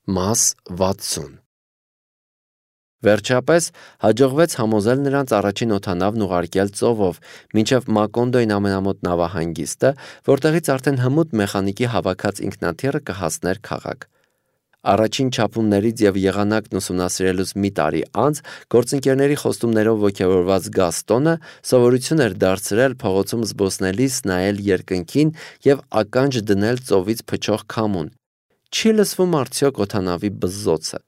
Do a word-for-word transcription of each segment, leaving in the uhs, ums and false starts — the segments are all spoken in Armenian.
Մաս վաթսուն Վերջապես հաջողվեց համոզել նրանց առաջին օդանավն ուղարկել ծովով մինչև Մակոնդոյին ամենամոտ նավահանգիստը, որտեղից արդեն հմուտ մեխանիկի հավաքած ինքնաթիռը կհասներ քաղաք։ Առաջին չափումներից և եղանակն ուսումնասիրելուց մի տարի անց գործընկերների խոստումներով ոգևորված Գաստոնը սովորություն էր դարձրել փողոցում զբոսնելիս նայել երկնքին և ականջ դնել ծովից փչող քամուն։ Չի լսվում արդյոք օդանավի բզզոցը։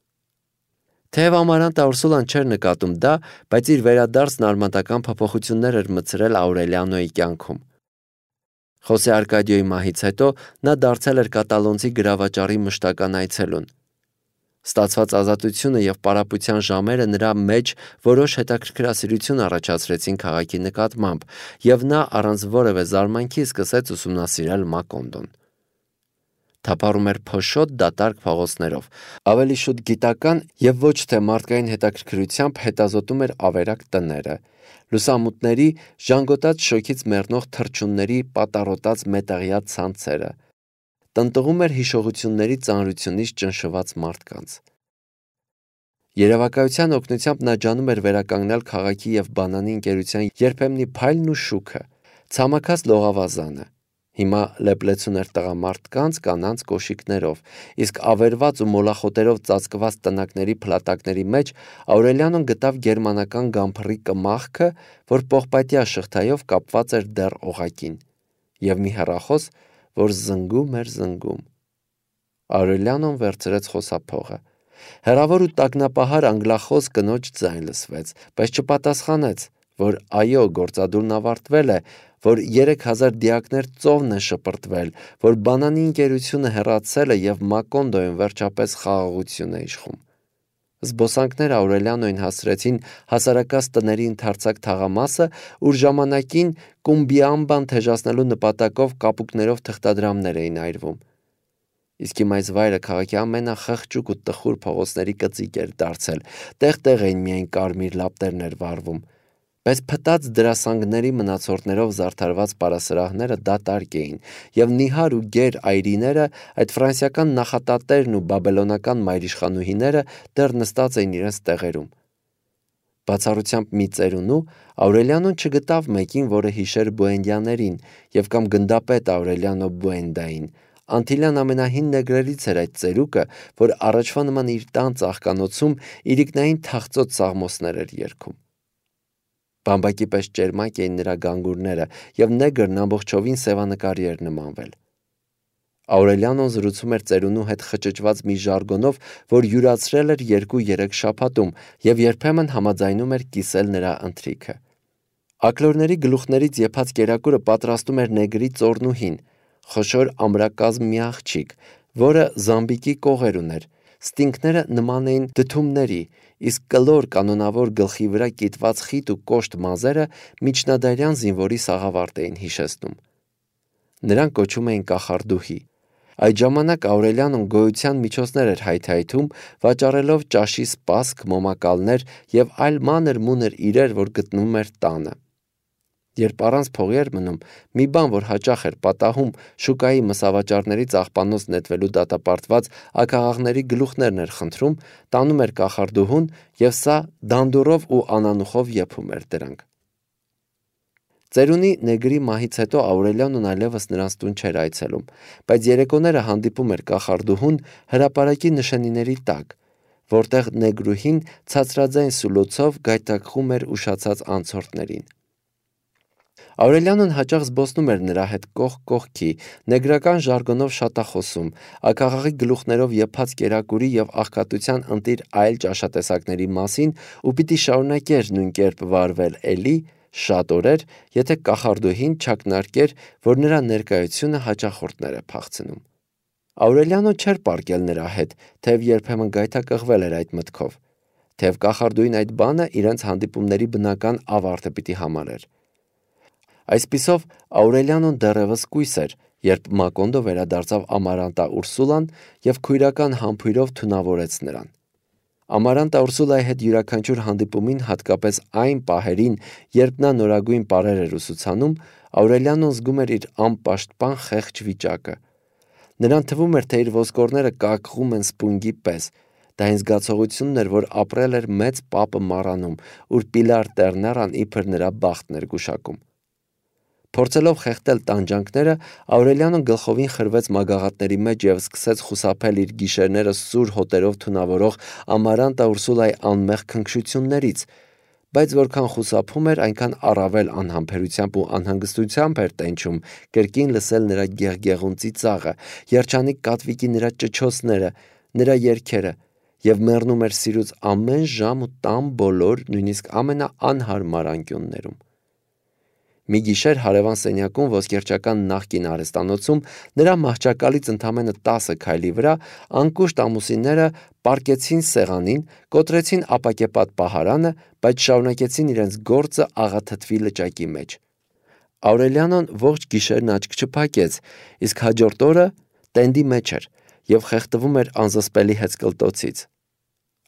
Թեև Ամարանտը Ուրսուլան չէր նկատում դա, բայց իր վերադարձն արմատական փոփոխություններ էր մտցրել Աուրելիանոյի կյանքում։ Խոսե Արկադիոյի մահից հետո նա դարձել էր կատալոնցի գրավաճառի մշտական այցելուն։ Ստացված ազատությունը և պարապության ժամերը նրա մեջ որոշ հետաքրքրասիրություն առաջացրեցին քաղաքի նկատմամբ, և նա առանց որևէ զարմանքի սկսեց ուսումնասիրել Մակոնդոն։ Թափառում էր փոշոտ դատարկ փողոցներով, ավելի շուտ գիտական և ոչ թե մարդկային հետաքրքրությամբ հետազոտում էր ավերակ տները, լուսամուտների, ժանգոտած շոգից մեռնող թռչունների պատառոտած մետաղյա ցանցերը, տնտղում էր հիշողությունների ծանրությունից ճնշված մարդկանց։ Երևակայության օգնությամբ նա ջանում էր վերականգնել քաղաքի և բանանի ընկերության երբեմնի փայլն ու շուքը, ցամաքած լողավազանը։ Հիմա լեփլեցուն էր տղամարդկանց, կանանց կոշիկներով, իսկ ավերված ու մոլախոտերով ծածկված տնակների փլատակների մեջ Աուրելիանոն գտավ գերմանական գամփռի կմախքը, որ պողպատյա շղթայով կապված էր դեռ օղակին, և մի հեռախոս, որ զնգում էր զնգում։ Աուրելիանոն վերցրեց խոսափողը։ Հեռավոր ու տագնապահար անգլախոս կնոջ ձայն լսվեց, բայց չպատասխանեց, որ այո, գործադուլն ավարտվել է, որ երեք հազար դիակներ ծովն է շպրտվել, որ բանանի ընկերությունը հեռացել է և Մակոնդոյում վերջապես խաղաղություն է իշխում։ Զբոսանքները Աուրելիանոյին հասցրեցին հասարակած տների ընդարձակ թաղամասը, ուր ժամանակին Կումբիամբան թեժացնելու նպատակով կապուկներով թղթադրամներ էին այրվում։ Իսկ իմ այս վայրը քաղաքի ամենախղճուկ ու տխուր փողոցների կծիկ էր դարձել, տեղ-տեղ էին միայն կարմիր լապտերներ վառվում, բայց փտած դրասանգների մնացորդներով զարդարված պարասրահները դատարկ էին, և նիհար ու գեր այրիները, այդ ֆրանսիական նախատատերն ու բաբելոնական մայրիշխանուհիները դեռ նստած էին իրենց տեղերում։ Բացառությամբ մի ծերունու, Աուրելիանոն չգտավ մեկին, որը հիշեր Բուենդիաներին և կամ գնդապետ Աուրելիանո Բուենդային։ Անտիլյան ամենահին նեգրերից էր այդ ծերուկը, որ առաջվա նման իր տան ծաղկանոցում իրիկնային թախծոտ սաղմոսներ էր երգում։ Բամբակի պես ճերմակ էին նրա գանգուրները, և նեգրն ամբողջովին սևանկարի էր նմանվել։ Աուրելիանոն զրուցում էր ծերունու հետ խճճված մի ժարգոնով, որ յուրացրել էր երկու-երեք շաբաթում, և երբեմն համաձայնում էր կիսել նրա ընթրիքը։ Աքլորների գլուխներից եփած կերակուրը պատրաստում էր նեգրի ծոռնուհին, խոշոր ամրակազմ մի աղջիկ, որը զամբիկի կողեր ուներ, ստինգները նման էին դդումների, իսկ կլոր կանոնավոր գլխի վրա կիտված խիտ ու կոշտ մազերը միջնադարյան զինվորի սաղավարտ էին հիշեցնում։ Նրան կոչում էին կախարդուհի։ Այդ ժամանակ Աուրելիանոն գոյության միջոցներ էր հայթայթում, վաճառելով ճաշի սպասք, մոմակալներ և այլ մանր-մունր իրեր, որ գտնում էր տանը։ Երբ առանց փողի էր մնում, մի բան, որ հաճախ էր պատահում, շուկայի մսավաճառներից աղբանոց նետվելու դատապարտված աքաղաղների գլուխներն էր խնդրում, տանում էր կախարդուհուն, և սա դանդուրով ու անանուխով եփում էր դրանք։ Ծերունի նեգրի մահից հետո Աուրելիանոն այլևս նրանց տուն չէր այցելում, բայց երեկոները հանդիպում էր կախարդուհուն հրապարակի նշանիների տակ, որտեղ նեգրուհին ցածրաձայն սուլոցով գայթակղում էր ուշացած անցորդներին։ Աուրելիանոն հաճախ զբոսնում էր նրա հետ կողք կողքի, նեգրական ժարգոնով շատախոսում, աքաղաղի գլուխներով եփած կերակուրի և աղքատության ընտիր այլ ճաշատեսակների մասին ու պիտի շարունակեր նույն կերպ վարվել էլի շատ օրեր, եթե կախարդուհին չակնարկեր, որ նրա ներկայությունը հաճախորդներ է փախցնում։ Աուրելիանոն չէր պառկել նրա հետ, թեև երբեմն գայթակղվել էր այդ մտքով, թեև կախարդուհին այդ բանը իրենց հանդիպումների բնական ավարտը պիտի համարեր։ Այսպիսով Աուրելիանոն դեռևս կույս էր, երբ Մակոնդո վերադարձավ Ամարանտա Ուրսուլան և քույրական համբույրով թունավորեց նրան։ Ամարանտա Ուրսուլայի հետ յուրաքանչյուր հանդիպումին, հատկապես այն պահերին, երբ նա նորագույն պարեր էր ուսուցանում, Աուրելիանոն զգում էր իր անպաշտպան խեղճ վիճակը։ Նրան թվում էր, թե իր ոսկորները կակղում են սպունգի պես։ Դա այն զգացողությունն էր, որ ապրել էր մեծ պապը մառանում, ուր Պիլար Տերներան իբր նրա բախտն էր գուշակում։ Փորձելով խեղդել տանջանքները, Աուրելիանոն գլխովին խրվեց մագաղատների մեջ և սկսեց խուսափել իր գիշերները սուր հոտերով թունավորող Ամարանտա Ուրսուլայի անմեղ քնքշություններից, բայց որքան խուսափում էր, այնքան առավել անհամբերությամբ ու անհանգստությամբ էր տենչում կրկին լսել նրա գեղգեղուն ծիծաղը, երջանիկ կատվիկի նրա ճչոցները, նրա երգերը, և մեռնում էր սիրուց ամեն ժամ ու տան բոլոր, նույնիսկ ամենաանհարմար անկյուններում։ Մի գիշեր հարևան սենյակում ոսկերչական նախկին արհեստանոցում նրա մահճակալից ընդամենը տասը քայլի վրա անկուշտ ամուսինները պառկեցին սեղանին, կոտրեցին ապակեպատ պահարանը, բայց շարունակեցին իրենց գործը աղաթթվի լճակի մեջ։ Աուրելիանոն ողջ գիշերն աչք չփակեց, իսկ հաջորդ օրը տենդի մեջ էր և խեղդվում էր անզսպելի հեծկլտոցից։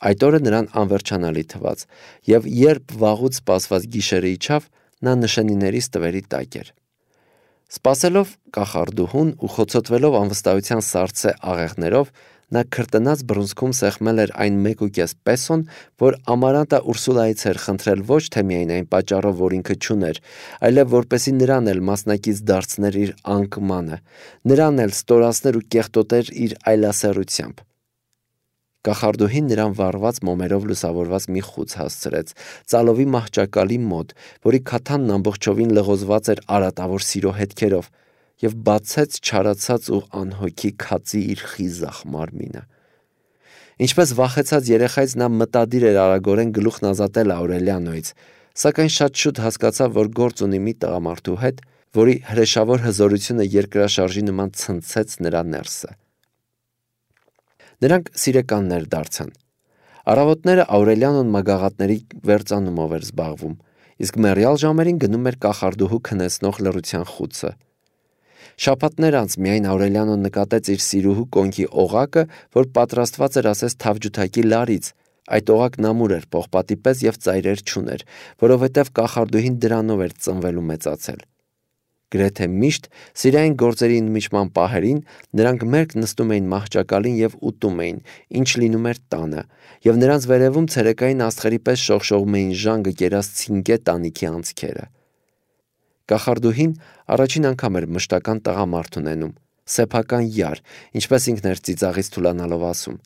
Այդ օրը նրան անվերջանալի թվաց, և երբ վաղուց սպասված գիշերը իջավ, նա նշանիների ստվերի տակ էր։ Սպասելով կախարդուհուն ու խոցոտվելով անվստահության սառցե աղեղներով, նա քրտնած բռունցքում սեղմել էր այն մեկուկես պեսոն, որ Ամարանտա Ուրսուլայից էր խնդրել ոչ թե միայն այն պատճառով, որ ինքը չուներ, այլև որպեսզի նրան էլ մասնակից դարձներ իր անկմանը, նրան էլ ստորացներ ու կեղտոտեր իր այլասեռությամբ։ Կախարդուհին նրան վառված մոմերով լուսավորված մի խուց հասցրեց ծալովի մահճակալի մոտ, որի քաթանն ամբողջովին լղոզված էր արատավոր սիրո հետքերով, և բացեց չարացած ու անհոգի քածի իր խիզախ մարմինը։ Ինչպես վախեցած երեխայից նա մտադիր էր արագորեն գլուխն ազատել Աուրելիանոյից, սակայն շատ շուտ հասկացավ, որ գործ ունի մի տղամարդու հետ, որի հրեշավոր հզորությունը երկրաշարժի նման ցնցեց նրա ներսը։ Նրանք սիրեկաններ դարձան։ Առավոտները Աուրելիանոն մագաղատների վերծանումով էր զբաղվում, իսկ մեռյալ ժամերին գնում էր կախարդուհու քնեցնող լռության խուցը։ Շաբաթներ անց միայն Աուրելիանոն նկատեց իր սիրուհու կոնքի օղակը, որ պատրաստված էր ասես թավջութակի լարից։ Այդ օղակն ամուր էր պողպատի պես և ծայրեր չուներ, որովհետև կախարդուհին դրանով էր ծնվել ու մեծացել։ Գրեթե միշտ սիրային գործերի ընդմիջման պահերին նրանք մերկ նստում էին մահճակալին և ուտում էին, ինչ լինում էր տանը, և նրանց վերևում ցերեկային աստղերի պես շողշողում էին ժանգը կերած ցինկե տանիքի անցքերը։ Կախարդուհին առաջին անգամ էր մշտական տղամարդ ունենում, սեփական յար, ինչպես ինքն էր ծիծաղից թուլանալով ասում։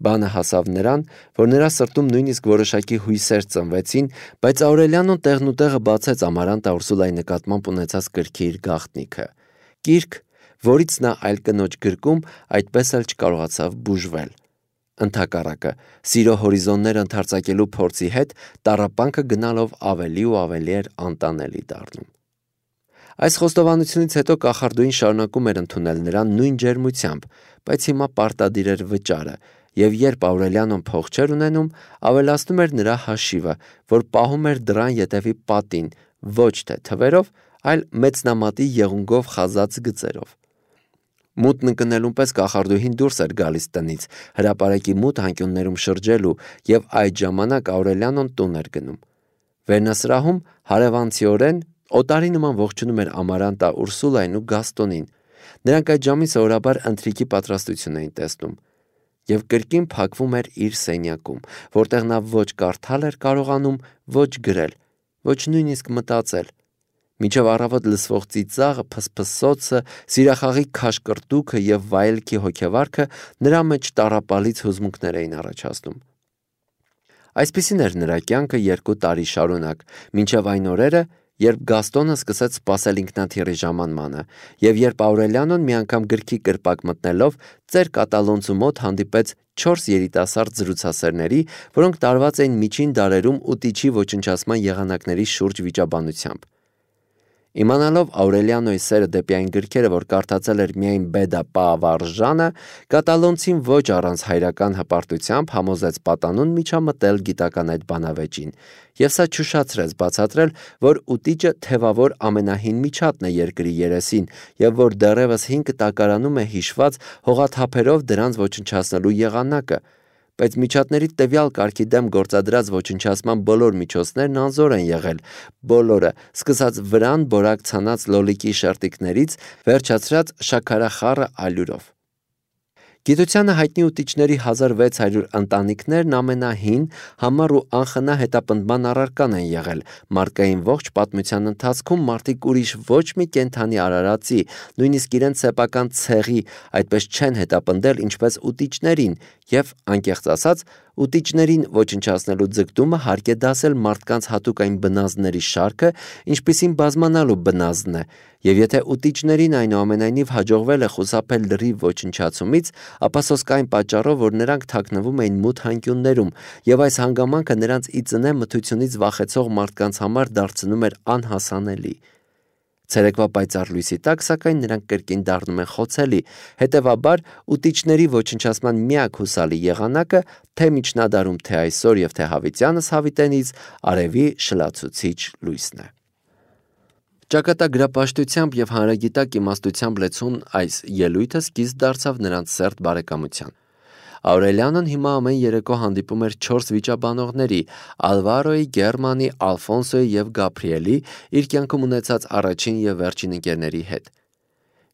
Բանը հասավ նրան, որ նրա սրտում նույնիսկ որոշակի հույսեր ծնվեցին, բայց Աուրելիանոն տեղնուտեղը բացեց Ամարանտա Ուրսուլայի նկատմամբ ունեցած կրքի իր գաղտնիքը, կիրք, որից նա այլ կնոջ գրկում այդպես էլ չկարողացավ բուժվել։ Ընդհակառակը, սիրո հորիզոնները ընդարձակելու փորձի հետ տառապանքը գնալով ավելի ու ավելի էր անտանելի դառնում։ Այս խոստովանությունից հետո կախարդուհին շարունակում էր ընդունել նրան նույն ջերմությամբ, բայց հիմա պարտադիր էր վճարը, և երբ Աուրելիանոն փող չէր ունենում, ավելացնում էր նրա հաշիվը, որ պահում էր դռան ետևի պատին, ոչ թե թվերով, այլ մեծնամատի եղունգով խազած գծերով։ Մութն ընկնելուն պես կախարդուհին դուրս էր գալիս տնից, հրապարակի մութ անկյուններում շրջելու, և այդ ժամանակ Աուրելիանոն տուն էր գնում։ Վերնասրահում հարևանցիորեն օտարի նման ողջունում էր Ամարանտա Ուրսուլային ու Գաստոնին։ Նրանք այդ ժամին սովորաբար ընթրիքի պատրաստություն էին տեսնում, և կրկին փակվում էր իր սենյակում, որտեղ նա ոչ կարդալ էր կարողանում, ոչ գրել, ոչ նույնիսկ մտածել։ Մինչև առավոտ լսվող ծիծաղը, փսփսոցը, սիրախաղի քաշկրտուքը և վայելքի հոգեվարքը նրա մեջ տառապալից հուզմունքներ էին առաջացնում։ Այսպիսին էր նրա կյանքը երկու տարի շարունակ, մինչև այն օրերը, երբ Գաստոնը սկսեց սպասել ինքնաթիռի ժամանմանը, և երբ Աուրելիանոն մի անգամ գրքի կրպակ մտնելով ծեր կատալոնցու մոտ հանդիպեց չորս երիտասարդ զրուցասերների, որոնք տարված էին միջին դարերում ուտիչի ոչնչացման եղանակների շուրջ վիճաբանությամբ։ Իմանալով Աուրելիանոյի սերը դեպի այն գրքերը, որ կարդացել էր միայն Բեդա Պավարժանը, կատալոնցին ոչ առանց հայրական հպարտությամբ համոզեց պատանուն միջամտել գիտական այդ բանավեճին, և սա չուշացրեց բացատրել, որ ուտիճը թևավոր ամենահին միջատն է երկրի երեսին, և որ դեռևս հին կտակարանում է հիշված հողաթափերով դրանց ոչնչացնելու եղանակը, բայց միջատների տվյալ կարգի դեմ գործադրած ոչնչացման բոլոր միջոցներն անզոր են եղել, բոլորը, սկսած վրան բորակ ցանած լոլիկի շերտիկներից, վերջացրած շաքարախառը ալյուրով։ Գիտությանը հայտնի ուտիչների հազար վեց հարյուր ընտանիքներն ամենահին, համառ ու անխնա հետապնդման առարկան են եղել։ Մարդկային ողջ պատմության ընթացքում մարդիկ ուրիշ ոչ մի կենդանի արարածի, նույնիսկ իրենց սեփական ցեղի այդպես չեն հետապնդել, ինչպես ուտիչներին, եւ անկեղծ ասած, ուտիչներին ոչնչացնելու ձգտումը հարկ է դասել մարդկանց հատուկ այն բնազդների շարքը, ինչպիսին բազմանալու բնազդն է, եւ եթե ուտիչներին այնուամենայնիվ հաջողվել է խուսափել լրիվ ոչնչացումից, ապա սոսկ այն պատճառով, որ նրանք թաքնվում էին մութ հանկյուններում, եւ այս հանգամանքը նրանց ի ծնե մթությունից վախեցող մարդկանց համար դարձնում էր անհասանելի։ Ցերեկվա պայծառ լույսի տակ, սակայն նրանք կրկին դառնում են խոցելի, հետևաբար ուտիչների ոչնչացման միակ հուսալի եղանակը թե միջնադարում, թե այսօր եւ թե հավիտյանս հավիտենից արևի շլացուցիչ լույսն է։ Ճակատագրապաշտությամբ եւ հանրագիտակ իմաստությամբ լեցուն այս ելույթը սկիզբ դարձավ նրանց սերտ բարեկամության։ Աուրելիանոն հիմա ամեն երեկո հանդիպում էր չորս վիճաբանողների՝ Ալվարոյի, Գերմանի, Ալֆոնսոյի եւ Գաբրիելի, իր կյանքում ունեցած առաջին եւ վերջին ընկերների հետ։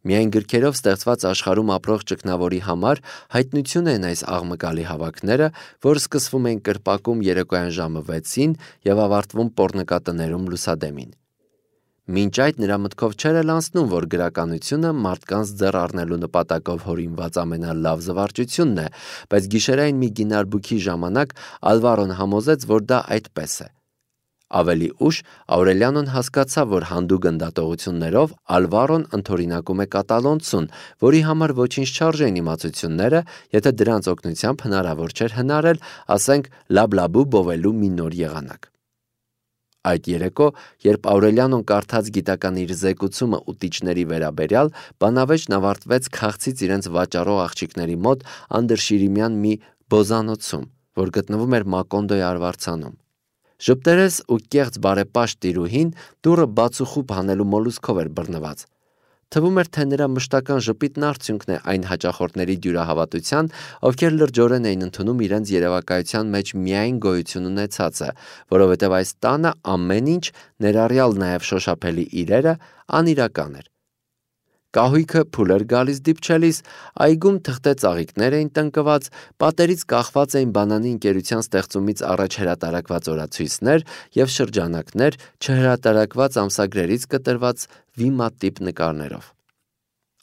Միայն գրքերով ստեղծված աշխարհում ապրող ճգնավորի համար հայտնություն են այս աղմկալի հավաքները, որ սկսվում են կրպակում երեկոյան ժամը վեցին եւ ավարտվում պոռնկատներում լուսադեմին։ Մինչ այդ նրա մտքով չէր էլ անցնում, որ գրականությունը մարդկանց ձեռ առնելու նպատակով հորինված ամենալավ զվարճությունն է, բայց գիշերային մի գինարբուքի ժամանակ Ալվարոն համոզեց, որ դա այդպես է։ Ավելի ուշ Աուրելիանոն հասկացավ, որ հանդուգն դատողություններով Ալվարոն ընդօրինակում է կատալոնցուն, որի համար ոչինչ չարժեն իմացությունները, եթե դրանց օգնությամբ հնարավոր չէր հնարել, ասենք, լաբլաբու բովելու մի նոր եղանակ։ Այդ երեկո, երբ Աուրելիանոն կարդաց գիտական իր զեկուցումը ուտիչների վերաբերյալ, բանավեճն ավարտվեց քաղցից իրենց վաճառող աղջիկների մոտ անդրշիրիմյան մի բոզանոցում, որ գտնվում էր Մակոնդոյի արվարձանում։ Ժպտերես ու կեղծ բարեպաշտ տիրուհին դուռը բացուխուբ հանելու մոլուսքով էր բռնված։ Թվում էր, թե նրա մշտական ժպիտն արդյունքն է այն հաճախորդների դյուրահավատության, ովքեր լրջորեն էին ընդունում իրենց երևակայության մեջ միայն գոյություն ունեցածը, որովհետև այս տանը ամեն ինչ, ներառյալ նաև շոշափելի իրերը, անիրական էր։ Կահույքը փուլ էր գալիս դիպչելիս, այգում թղթե ծաղիկներ էին տնկված, պատերից կախված էին բանանի ընկերության ստեղծումից առաջ հրատարակված օրացույցներ եւ շրջանակներ, չհրատարակված ամսագրերից կտրված վիմատիպ նկարներով։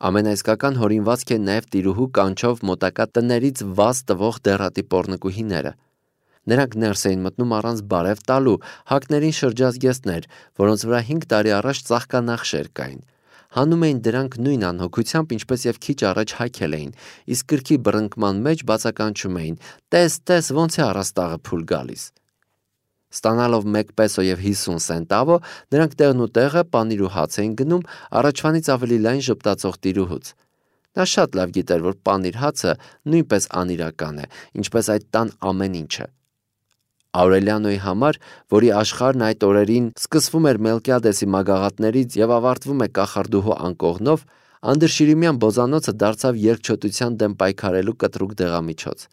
Ամենաիսկական հորինվածք են նաև տիրուհու կանչով մոտակա տներից վազ տվող դեռատի պոռնկուհիները։ Նրանք ներս էին մտնում առանց բարև տալու, հակներին շրջազգեստներ, որոնց վրա հինգ տարի առաջ ծաղկանախշեր կային։ Հանում էին դրանք նույն անհոգությամբ, ինչպես եւ քիչ առաջ հագել էին, իսկ գրքի բռնկման մեջ բացականչում էին. «Տես, տես, ոնց է առաստաղը փուլ գալիս»։ Ստանալով մեկ պեսո եւ հիսուն սենտավո, նրանք տեղն ու տեղը պանիր ու հաց էին գնում առաջվանից ավելի լայն ժպտացող տիրուհուց։ Նա շատ լավ գիտեր, որ պանիր հացը նույնպես անիրական է, ինչպես այդ տան ամեն ինչը։ Աուրելիանոյի համար, որի աշխարհն այդ օրերին սկսվում էր Մելկիադեսի մագաղատներից եւ ավարտվում է կախարդուհու անկողնով, անդրշիրիմյան բոզանոցը դարձավ երկչոտության դեմ պայքարելու կտրուկ դեղամիջոց։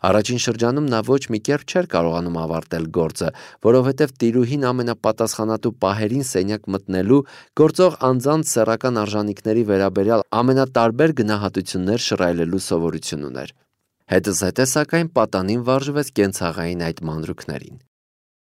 Առաջին շրջանում նա ոչ մի կերպ չէր կարողանում ավարտել գործը, որովհետև տիրուհին ամենապատասխանատու պահերին սենյակ մտնելու, գործող անձանց սեռական արժանինքների վերաբերյալ ամենատարբեր գնահատություններ շռայլելու սովորություն ուներ։ Հետզհետե, սակայն, պատանին վարժվեց կենցաղային այդ մանրուքներին։